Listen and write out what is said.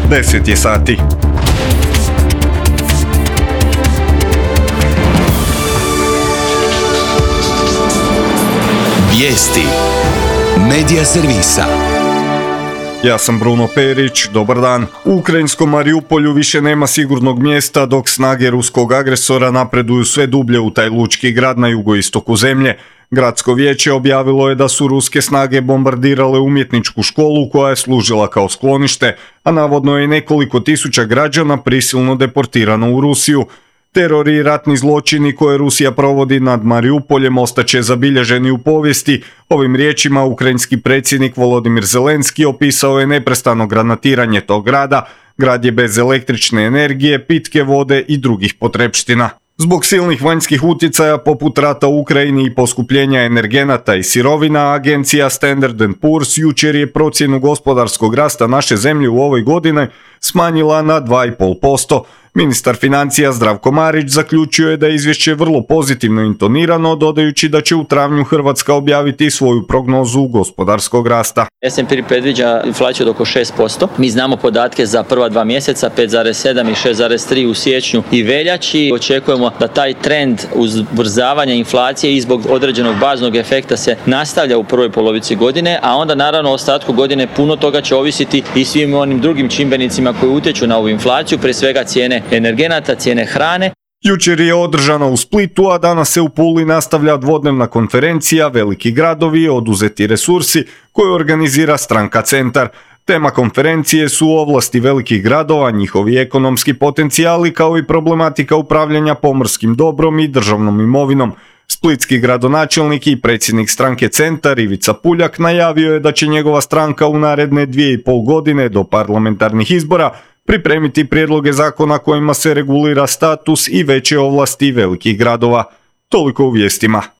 10 je sati. Vijesti Medija servisa. Ja sam Bruno Perić, dobar dan. U ukrajinskom Mariupolju više nema sigurnog mjesta dok snage ruskog agresora napreduju sve dublje u taj lučki grad na jugoistoku zemlje. Gradsko vijeće objavilo je da su ruske snage bombardirale umjetničku školu koja je služila kao sklonište, a navodno je nekoliko tisuća građana prisilno deportirano u Rusiju. Teror i ratni zločini koje Rusija provodi nad Mariupoljem ostaće zabilježeni u povijesti. Ovim riječima ukrajinski predsjednik Volodimir Zelenski opisao je neprestano granatiranje tog grada. Grad je bez električne energije, pitke vode i drugih potrepština. Zbog silnih vanjskih utjecaja poput rata u Ukrajini i poskupljenja energenata i sirovina, agencija Standard & Poor's jučer je procjenu gospodarskog rasta naše zemlje u ovoj godini smanjila na 2,5%. Ministar financija Zdravko Marić zaključio je da je izvješće vrlo pozitivno intonirano, dodajući da će u travnju Hrvatska objaviti svoju prognozu gospodarskog rasta. S&P predviđa inflaciju od oko 6%. Mi znamo podatke za prva 2 mjeseca, 5,7 i 6,3 u siječnju i veljači. Očekujemo da taj trend ubrzavanja inflacije i zbog određenog baznog efekta se nastavlja u prvoj polovici godine, a onda naravno u ostatku godine puno toga će ovisiti i svim onim drugim čimbenicima koji utječu na ovu inflaciju, prije svega cijene energenata, cijene hrane. Jučer je održana u Splitu, a danas se u Puli nastavlja dvodnevna konferencija Veliki gradovi, oduzeti resursi, koju organizira stranka Centar. Tema konferencije su ovlasti velikih gradova, njihovi ekonomski potencijali kao i problematika upravljanja pomorskim dobrom i državnom imovinom. Splitski gradonačelnik i predsjednik stranke Centar Ivica Puljak najavio je da će njegova stranka u naredne 2,5 godine do parlamentarnih izbora pripremiti prijedloge zakona kojima se regulira status i veće ovlasti velikih gradova. Toliko u vijestima.